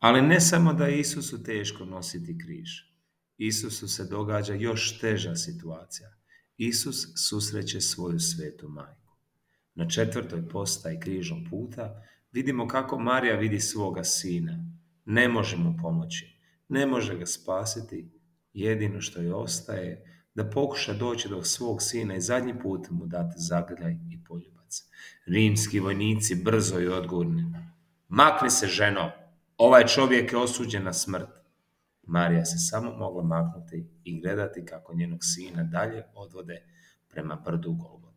Ali ne samo da je Isusu teško nositi križ. Isusu se događa još teža situacija. Isus susreće svoju svetu majku. Na 4. postaji križnog puta vidimo kako Marija vidi svoga sina. Ne može mu pomoći, ne može ga spasiti. Jedino što joj ostaje da pokuša doći do svog sina i zadnji put mu dati zagrljaj i poljubac. Rimski vojnici brzo i odgovorni: makni se, ženo, ovaj čovjek je osuđen na smrt. Marija se samo mogla maknuti i gledati kako njenog sina dalje odvode prema brdu Golgote.